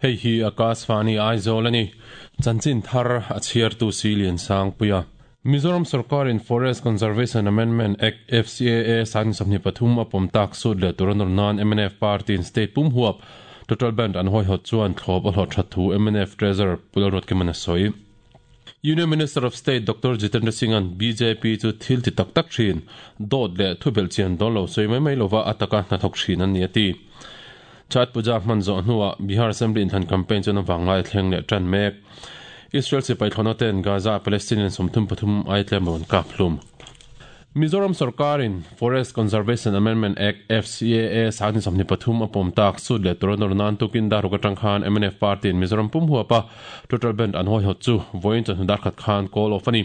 Hei hi Akashvani Aizawl a ni. Chanchin thar a chhiartu Silian Sangpuia. Mizoram sorkarin Forest Conservation Amendment Act, FCAA, 2023 a pawm tak sut leh tur a nawr nan mnf party-in state pum huap total band an hawihawt chuan thlawp a hlawh that thu mnf Treasurer Pu Lalruatkima'n a sawi. Union Minister of State Doctor Jitendra Singh-a'n bjp chu thil ti tak tak thin, dawt leh thu belhchian dawn lo sawi mai mai lova a taka hnathawk thin an ni a ti. Chhat Puja hman zawh hnuah Bihar Assembly inthlan campaign chuan a vanglai a thleng leh tan mek. Israel sipai thlawhna ten Gaza Palestinian 33 ai tlem rawn kap hlum. Mizoram sorkarin Forest Conservation Amendment Act, FCAA, 2023 a pawm tak sut leh tur a nawr nan tukin daruk atang khan mnf party in Mizoram pum huapa total band an hawihawt chu vawiin chawhnu dar khat khan call off a ni.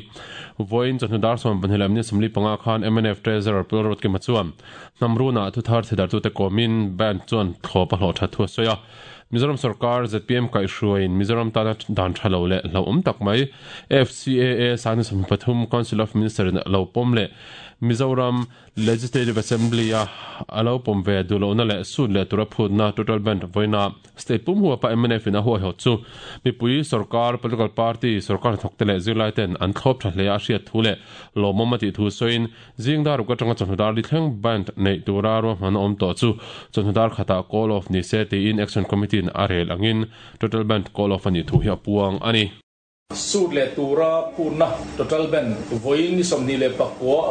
Vawiin chawhnu dar 12 leh minute 45 khan mnf Treasurer Pu Lalruatkima chuan Hnam runah thuthar theidartute kawmin band chuan thlawp a hlawh that thu a sawi a. Mizoram sorkar zpm kaihhruaiin Mizoram tana dan tha lo leh hlauhawm tak mai FCAA 2023 Council of Minister in a lo pawm leh Mizoram Legislative Assembly a a lo pawm ve duh lohna leh sut leh tura phutna total band vawiina State pum huapa mnf in a huaihawt chu mipui sorkar, political party, sorkar hnathawkte leh zirlaiten an thlawp tha hle a hriat thu leh lawmawm a tih thu sawiin Zing dar uk atanga chawhnu dar li thleng band neih tura ruahman a awm tawh chu chawhnu dar khatah call off ni se tiin Action Committee in a rel angin total band call off a nih thu hi a puang a ni. Sut leh tura phutna total band vawiin ni 29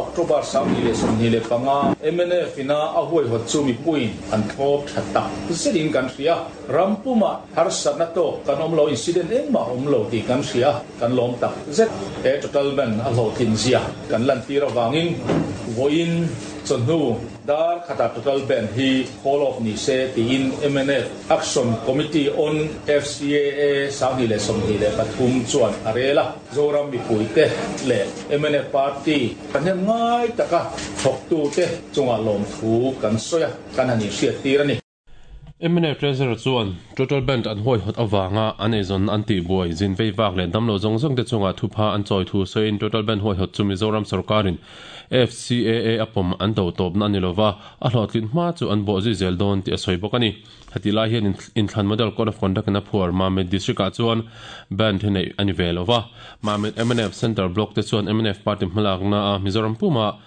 October 2025 mnf ina a huaihawt chu mipuiin an thlawp tha tak zetin kan hria. Ram pumah harsatna tawk kan awm lo, incident engmah awm lo tih kan hria. Kan lawm tak zet. He total ban a hlawhtlin zia kan lantir avangin vawiin chawhnu dar khatah total ban hi call off ni se tiin mnf Action Committee on FCAA 2023 chuan a rel a. Zoram mipuite leh mnf party thahnem ngai taka thawktute chungah lawmthu kan sawi a, kan han inhriattir a ni. Mnf Treasurer chuan Total Band an huaihawt avanga an eizawnna an tihbuai, zin vei vak leh damlo zawng zawng te chungah thupha an chawi thu sawiin Total Band huaihawt chu Mizoram sorkarin FCAA a pawm an do tawpna a ni lova, a hlawhtlin hma chu an bawhzui zel dawn tih a sawi bawk a ni. Hetih lai hian inthlan Model Code of Conduct in a phuar Mamit District ah chuan Band hi neih a ni ve lova, Mamit mnf Centre Block te chuan mnf Party hmalakna a Mizoram pumah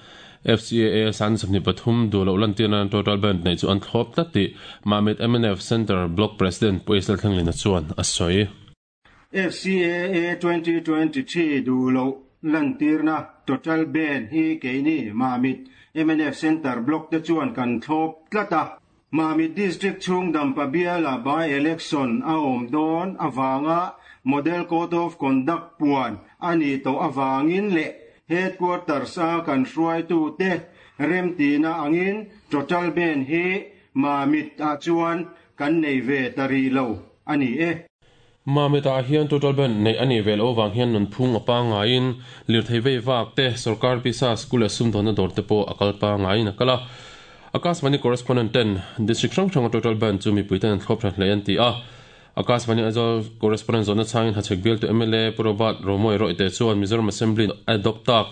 FCAA 2023 duh loh lantir nan total band neih chu an thlawp tlat tih Mamit mnf Centre Block President Pu Isel Thlenglina chuan a sawi. FCAA 2023 duh loh lantirna total band hi keini Mamit mnf Centre Block te chuan kan thlawp tlat a. Mamit District chhung Dampa biala by-election a awm dawn avanga Model Code of Conduct puan a nih tawh avangin leh Headquarters-a kan hruaitute remtihna angin total ban hi Mamit-ah chuan kan nei ve ta rih lo a ni e. Mamit-ah hian total ban neih a nih ve loh avang hian nunphung a pangngaiin lirthei vei vak te, sorkar pisa, school leh sumdawnna dawr te pawh a kal pangngaiin a kal a. Akashvani correspondent ten district hrang hranga total ban chu mipui ten an thlawp tha hle an ti a. Akashvani Aizawl correspondent zawhna chhangin Hachhek bialtu mla Pu Robert Romawia Rawite chuan Mizoram Assembly a adopt tak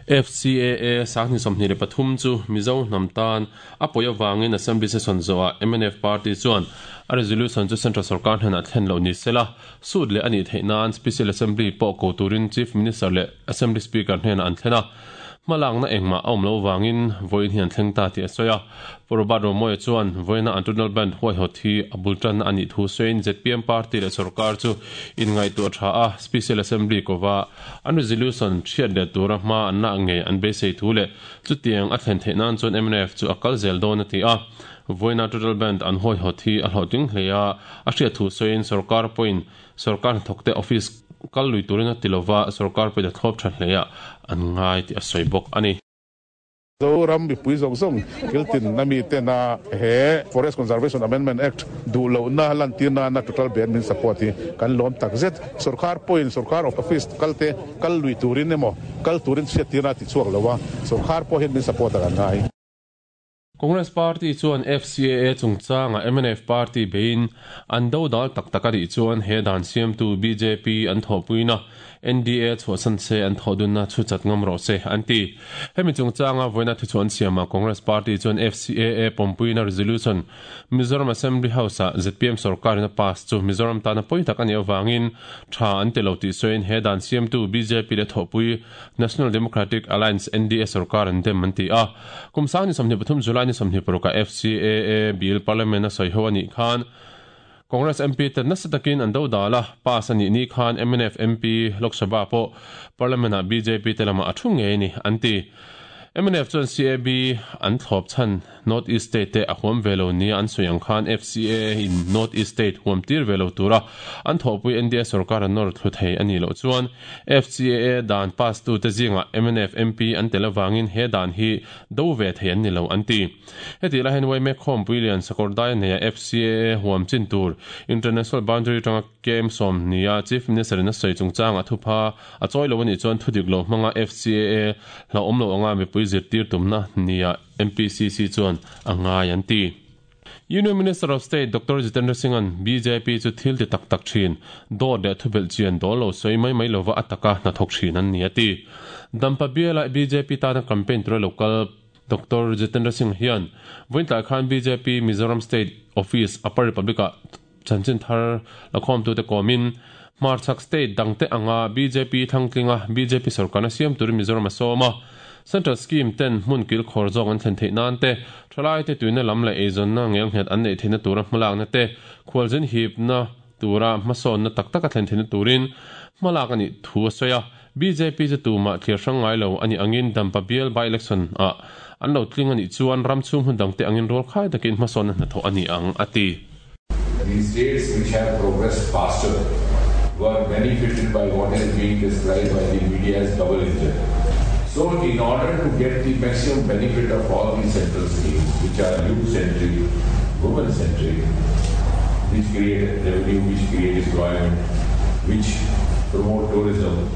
FCAA 2023 chu Mizo hnam tan A pawi avangin Assembly session zawhah mnf party chuan a resolution chu Central sorkar hnenah thlen loh ni sela, suit leh a nih theih nan Special Assembly pawh ko turin Chief Minister leh Assembly Speaker hnenah an thlen a. Hmalakna engmah a awm loh avangin vawiin hi an thleng ta tih a sawi a. Pu Robert Romawia chuan vawiina an Tunnel Band huaihawt hi a bul tanna a nih thu sawiin zpm party leh sorkar chu inngaihtuah tha a, Special Assembly kova an resolution hriat leh tura hma an lak ngei an beisei thu leh Chutiang a thlen theih nan chuan mnf chu a kal zel dawn a ti a. Vawiina Total Band an hawihawt hi a hlawhtling hle a, a hriat thu sawiin sorkar pawhin sorkar hnathawkte office kal lui turin a ti lova, sorkar pawhin a thlawp tha hle a an ngai tih a sawi bawk a ni. Zoram mipui zawng zawng kiltin a mi tena he Forest Conservation Amendment Act duh lohna lantir nana Total Ban min support hi kan lawm takzet. Sorkar pawhin sorkar office kalte Kal lui turin emaw, kal turin chhiattirna a ti chhuak lo a, sorkar pawh hian min support a kan ngai. Congress Party chuan FCAA chungchanga mnf Party beiin an dodal tak tak a nih chuan he dan siamtu bjp an thawhpuina NDA chhuahsan se an thawhdunna chhu chat ngam rawh se an ti. Hemi chungchanga vawiina thuchhuah an siamah Congress Party chuan FCAA pawmpuina resolution Mizoram Assembly House-ah zpm sorkarin a pass chu Mizoram tana pawi tak a nih avangin tha an ti lo tih sawiin he dan siamtu bjp leh thawhpui National Democratic Alliance, NDA, sorkar an dem an ti a. Kum sang ni 23 July ni 26 ah FCAA bill Parliament a sawi ho a nih khan Congress MP te nasa takin an do dal a, pass a nih ni khan mnf MP Lok Sabha pawh Parliament ah bjp te lamah a thu ngei a ni an ti. Mnf chuan CAB an thlawp chhan North East State te a huam ve lo nia an sawi ang khan FCAA in North East State huam tir ve lo tura an thawhpui NDA sorkar an nawr thlu thei a nih loh chuan FCAA dan pass tu te zingah mnf MP an tel avangin he dan hi do ve thei an ni lo an ti. Hetih lai hian yma khawmpui lian Sakawrdai neia FCAA huam chin tur International Boundary atanga KM 20 a Chief Minister in a sawi chungchangah thupha a chawi lo a nih chuan thudik lo hmanga FCAA hlauhawm lo anga mipui zirtir tumna nia MPCC chuan a ngai an ti. Union Minister of State Doctor Jitendra Singh-a'n bjp chu thil ti tak tak thin, dawt leh thubelh chian dawl lo sawi mai mai lova a taka hnathawk thin an ni a ti. Dampa biala bjp tana campaign tura lo kal Doctor Jitendra Singh hian vawiintlai khan bjp Mizoram State Office Upper Republic-ah chanchin thar lakhawmtute kawmin hmarchhak state dangte anga bjp thlangtlinga bjp sorkarna siam turin Mizoram a sawm a. Central scheme ten hmun kil khawr zawk an thlen theih nan te, thalaite tuina lam leh eizawnna ngelnghet an neih theihna tura hmalakna te, khualzin hipna tura hmasawnna tak taka thlen theihna turin hmalak a nih thu a sawi a. Bjp chu tumah thlir hrang ngai lo a nih angin Dampa bial by-election ah an lo tling a nih chuan ram chhung hmun dangte angin rualkhai takin hmasawnna hnathawh a ni ang, a ti. The states which have progressed faster were benefited by what has been described by the media as double engine. So in order to get the maximum benefit of all these central schemes which are youth-centric, women-centric, which create revenue, which create employment, which promote tourism,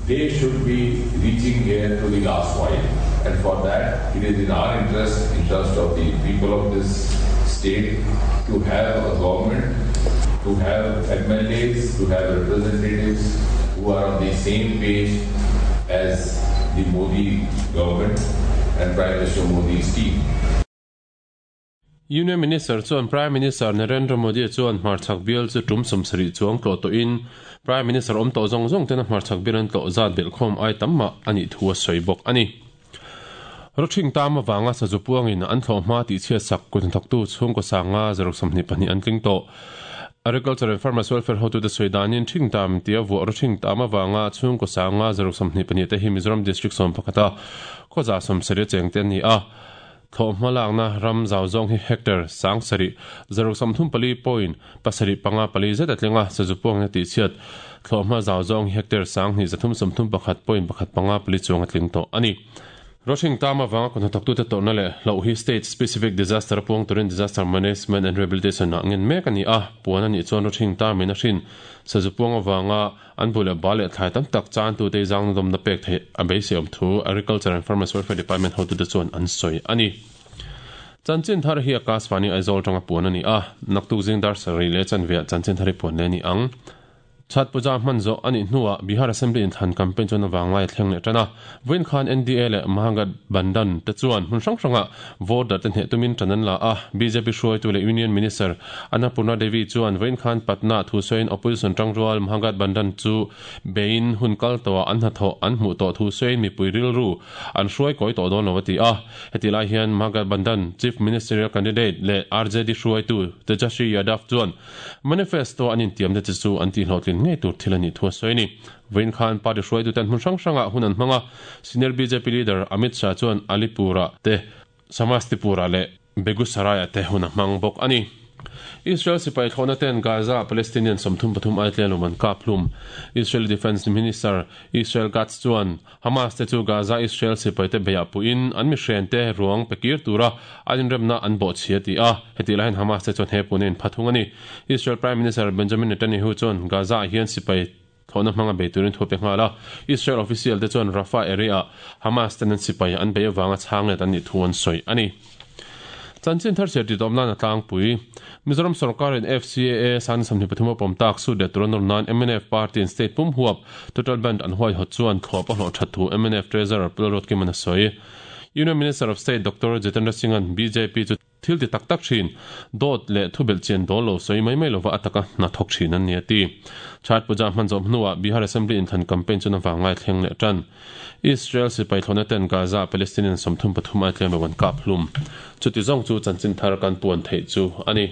they should be reaching here to the last mile. And for that, it is in our interest, interest of the people of this state, to have a government, to have MLAs, to have representatives who are on the same page as the Modi government and Prime Minister Modi's team. Union Minister chuan Prime Minister Narendra Modi chuan hmarchhak bial chu tum 70 chuang tlawh tawhin Prime Minister awm tawh zawng zawng tena hmarchhak bial an tlawh zat belhkhawm ai tam mah a nih thu a sawi bawk a ni. Rawthing tam avanga sazu puangin an thlawh hma tihchhiat sak kut hnathawktu chhungkaw sanga zaruk 22 an tling tawh. Agriculture and Farmers Welfare hotute sawi danin thing tam tia vuah rawthing tam avanga chhungkaw sanga zaruk 22 te hi Mizoram District 11 a khawza 70 cheng te an ni a. Thlawh hmalakna ram zau zawng hi hectare 7,000, 634.754 zet a tling a, sazu puangna tihchhiat thlawh hma zau zawng hi hectare 2,331.154 chuang a tling tawh a ni. Rawhring tam avanga kut hnathawktute tawrhna leh hlauh hi State Specific Disaster a puang turin Disaster Management and Rehabilitation ah ngen mek a ni a, puan a nih chuan rawhring tamin a hrin sazu puang avanga An bu leh bal leh thlai tam tak chantute i zangna dawmna pek theih a beisei awm thu Agriculture and Farmers Welfare Department hotute chuan an sawi a ni. Chanchin thar hi Akashvani Aizawl atanga puan a ni a, naktuk zing dar sarih leh chanveah chanchin thar hi puan leh a ni ang. Chhat puja hman zawh a nih hnuah Bihar Assembly inthlan campaign chuan avanglai a thleng leh tan a, vawiin khan NDA leh Mahagathbandhan te chuan hmun hrang hrangah Voter te hneh tumin ṭan an la a, bjp hruaitu leh Union Minister Annapurna Devi chuan vawiin khan Patna thu sawiin Opposition ṭangrual Mahagathbandhan chu beiin hun kal tawhah an hnathawh an hmuh tawh thu sawiin mipui rilru an hruai kawi tawh dawn lo a ti a. Hetih lai hian Mahagathbandhan Chief Ministerial Candidate leh RJD hruaitu Tejashwi Yadav chuan Manifesto an intiamna che chu an tihhlawhtlin ngei tur thil a nih thu a sawi a ni. Vawiin khan party hruaitute an hmun hrang hrangah hun an hmang a, senior bjp leader Amit Shah chuan Alipur-ah te, Samastipur-ah leh Begusarai-ah te hun a hmang bawk a ni. Israel sipai thlawhna ten Gaza-ah Palestinian 33 ai tlem an kap hlum. Israeli Defence Minister Israel Katz chuan Hamas te chu Gaza Israel sipaite beiah puhin an mihrente ruang pe kir tura an inremna an bawhchhi a ti a, hetih laiin Hamas te chuan he puna in pha thung a ni. Israel Prime Minister Benjamin Netanyahu chuan Gaza-ah hian sipai thlawhna hmanga bei turin thu a pe nghal a, Israel official te chuan Rafah area-ah Hamas ten an sipai an bei avanga chhang let an nih thu an sawi a ni. Chanchin thar chhiar titawm nan a tlangpui. Mizoram sorkarin FCAA 2023 a pawm tak sut leh tur a nawr nan mnf party in state pum huap total band an huaihawt chuan thlawp a hlawh that thu mnf Treasurer Pu Lalruatkima'n a sawi. Union Minister of State Doctor Jitendra Singh-a'n bjp chu Thil ti tak tak thin, dawt leh thubelh chian dawl lo sawi mai mai lova a taka hna thawk thin an ni a ti. Chhat Puja hman zawh hnuah Bihar Assembly inthlan campaign chu na vanglai thleng leh tan. Israel sipai thlawhna ten Gaza Palestinian 33 ai tlem lo an kap hlum. Chuti zawng chu chanchin thar kan puan theih chu a ni.